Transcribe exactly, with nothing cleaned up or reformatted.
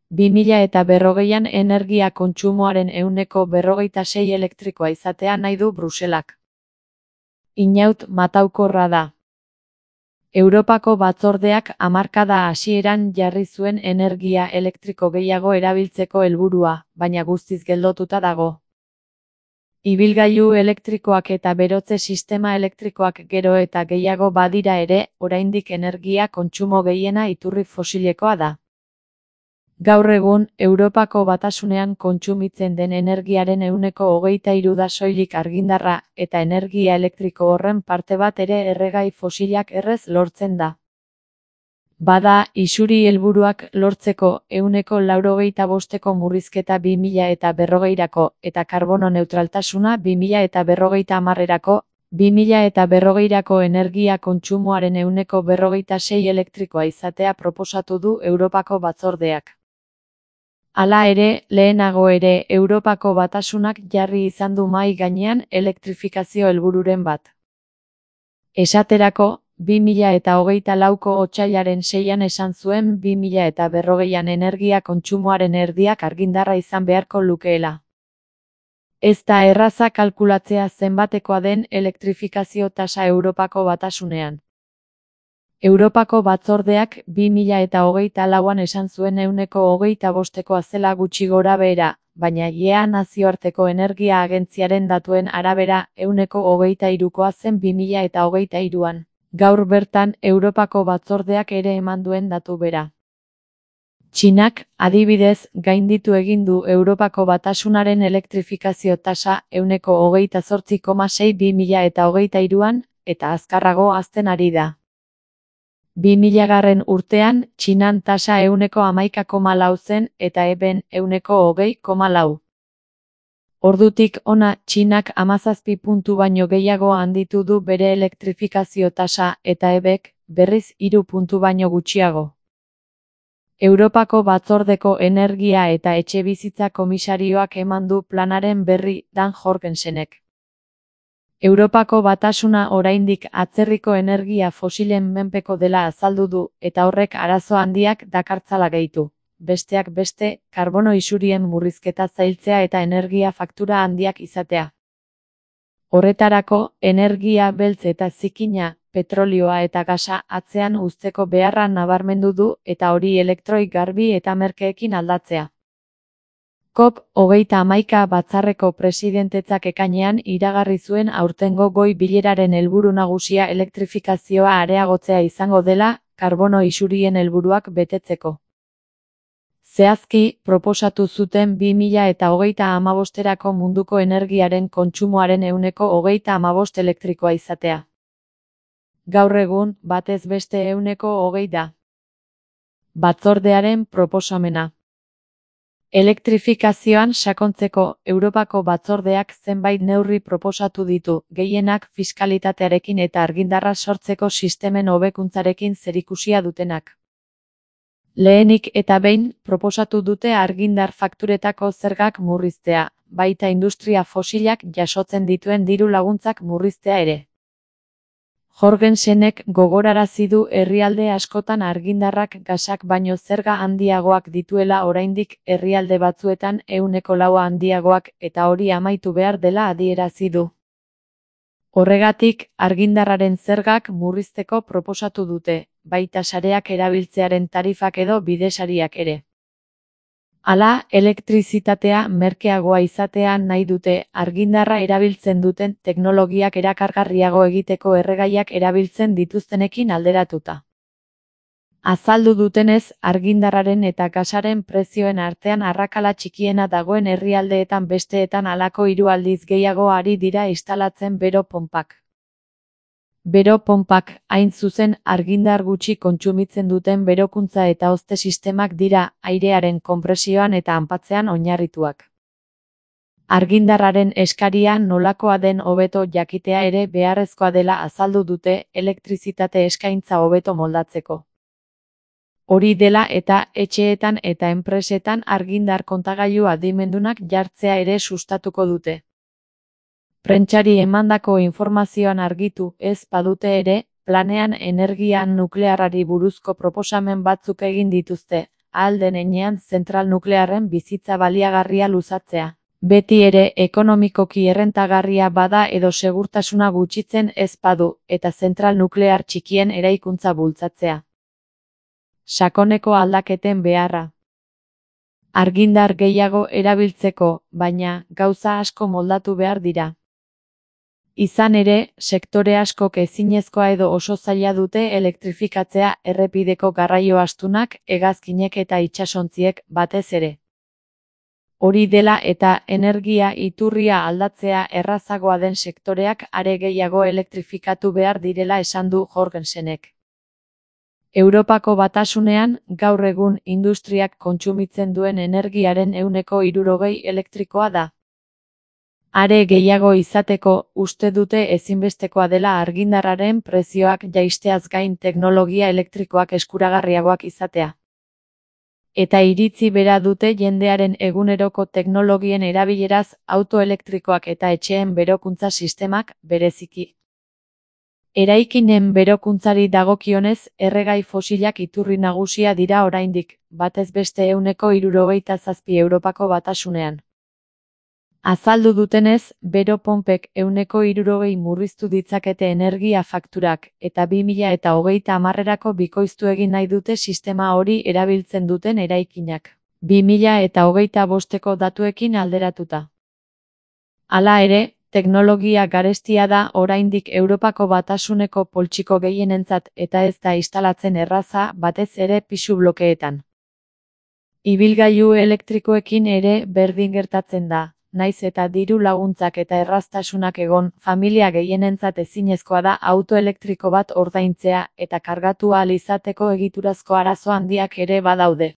bi mila eta berrogeian energia kontsumoaren ehuneko berrogeita sei elektrikoa izatea nahi du Bruselak. Inaut mataukorra da. Europako batzordeak hamarkada hasieran jarri zuen energia elektriko gehiago erabiltzeko helburua, baina guztiz geldotuta dago. Ibilgailu elektrikoak eta berotze sistema elektrikoak gero eta gehiago badira ere, oraindik energia kontsumo gehiena iturri fosilekoa da. Gaur egun, Europako Batasunean kontsumitzen den energiaren ehuneko hogeita hiru da soilik argindarra, eta energia elektriko horren parte bat ere erregai fosilak errez lortzen da. Bada, isuri helburuak lortzeko ehuneko laurogeita bosteko murrizketa bi mila eta berrogeirako eta karbono neutraltasuna bi mila eta berrogeita hamarerako, bi mila eta berrogeirako energia kontsumoaren ehuneko berrogeita sei elektrikoa izatea proposatu du Europako batzordeak. Hala ere, lehenago ere Europako Batasunak jarri izan du mahai gainean elektrifikazio helbururen bat. Esaterako, bi mila eta hogeita lauko otsailaren seian esan zuen bi mila eta berrogeian energia kontsumoaren erdiak argindarra izan beharko lukeela. Ez da erraza kalkulatzea zenbatekoa den elektrifikazio tasa Europako Batasunean. Europako batzordeak bi mila eta hogeita lauan esan zuen ehuneko hogeita bostekoa zela gutxi gorabehera, baina I E A nazioarteko energia agentziaren datuen arabera ehuneko hogeita hirukoa zen bi mila eta hogeita hiruan. Gaur bertan Europako batzordeak ere eman duen datu bera. Txinak, adibidez, gainditu egin du Europako Batasunaren elektrifikazio tasa ehuneko hogeita zortzi koma sei bi mila eta hogeita hiruan, eta azkarrago hazten ari da. bi milagarren urtean, Txinan tasa ehuneko hamaika koma lau zen eta eben ehuneko hogei koma lau. Ordutik hona, Txinak hamazazpi puntu baino gehiago handitu du bere elektrifikazio tasa eta ebek, berriz hiru puntu baino gutxiago. Europako batzordeko energia eta etxebizitza komisarioak eman du planaren berri Dan Jorgensenek. Europako Batasuna oraindik atzerriko energia fosilen menpeko dela azaldu du, eta horrek arazo handiak dakartzala gehitu. Besteak beste, karbono isurien murrizketa zailtzea eta energia faktura handiak izatea. Horretarako, energia beltz eta zikina, petrolioa eta gasa atzean uzteko beharra nabarmendu du eta hori elektroi garbi eta merkeekin aldatzea. COP hogeita hamaika batzarreko presidentetzak ekainean iragarri zuen aurtengo goi bileraren helburu nagusia elektrifikazioa areagotzea izango dela, karbono isurien helburuak betetzeko. Zehazki, proposatu zuten bi mila eta hogeita hamabosterako munduko energiaren kontsumoaren ehuneko hogeita hamabost elektrikoa izatea. Gaur egun, batez beste ehuneko hogei da. Batzordearen proposamena. Elektrifikazioan sakontzeko, Europako batzordeak zenbait neurri proposatu ditu, gehienak fiskalitatearekin eta argindarra sortzeko sistemen hobekuntzarekin zerikusia dutenak. Lehenik eta behin, proposatu dute argindar fakturetako zergak murriztea, baita industria fosilak jasotzen dituen diru laguntzak murriztea ere. Jorgensenek gogorarazi du herrialde askotan argindarrak gasak baino zerga handiagoak dituela oraindik herrialde batzuetan ehuneko laua handiagoak eta hori amaitu behar dela adierazi du. Horregatik, argindarraren zergak murrizteko proposatu dute, baita sareak erabiltzearen tarifak edo bidesariak ere. Hala, elektrizitatea merkeagoa izatea nahi dute, argindarra erabiltzen duten teknologiak erakargarriago egiteko erregaiak erabiltzen dituztenekin alderatuta. Azaldu dutenez, argindarraren eta gasaren prezioen artean arrakala txikiena dagoen herrialdeetan besteetan halako hiru aldiz gehiago ari dira instalatzen bero ponpak. Bero ponpak, hain zuzen, argindar gutxi kontsumitzen duten berokuntza eta hozte sistemak dira, airearen konpresioan eta hanpatzean oinarrituak. Argindarraren eskaria nolakoa den hobeto jakitea ere beharrezkoa dela azaldu dute elektrizitate eskaintza hobeto moldatzeko. Hori dela eta etxeetan eta enpresetan argindar kontagailu adimendunak jartzea ere sustatuko dute. Prentsari emandako informazioan argitu ez badute ere, planean energia nuklearrari buruzko proposamen batzuk egin dituzte, ahal den heinean zentral nuklearren bizitza baliagarria luzatzea. Beti ere ekonomikoki errentagarria bada edo segurtasuna gutxitzen ez badu, eta zentral nuklear txikien eraikuntza bultzatzea. Sakoneko aldaketen beharra. Argindar gehiago erabiltzeko, baina gauza asko moldatu behar dira. Izan ere, sektore askok ezinezkoa edo oso zaila dute elektrifikatzea errepideko garraio astunak, hegazkinek eta itsasontziek batez ere. Hori dela eta energia iturria aldatzea errazagoa den sektoreak are gehiago elektrifikatu behar direla esan du Jorgensenek. Europako Batasunean, gaur egun industriak kontsumitzen duen energiaren ehuneko hirurogei elektrikoa da. Are gehiago izateko, uste dute ezinbestekoa dela argindarraren prezioak jaisteaz gain teknologia elektrikoak eskuragarriagoak izatea. Eta iritzi bera dute jendearen eguneroko teknologien erabileraz autoelektrikoak eta etxeen berokuntza sistemak, bereziki. Eraikinen berokuntzari dagokionez, erregai fosilak iturri nagusia dira oraindik, batez beste ehuneko hirurogeita zazpi Europako Batasunean. Azaldu dutenez, bero ponpek ehuneko hirurogei murriztu ditzakete energia fakturak, eta bi mila eta hogeita hamarrerako bikoiztu egin nahi dute sistema hori erabiltzen duten eraikinak. bi mila eta hogeita bosteko datuekin alderatuta. Hala ere, teknologia garestia da oraindik Europako Batasuneko poltsiko gehienentzat eta ez da instalatzen erraza batez ere pisu blokeetan. Ibilgailu elektrikoekin ere berdin gertatzen da. Naiz eta diru laguntzak eta erraztasunak egon, familia gehienentzat ezinezkoa da auto elektriko bat ordaintzea eta kargatu ahal izateko egiturazko arazo handiak ere badaude.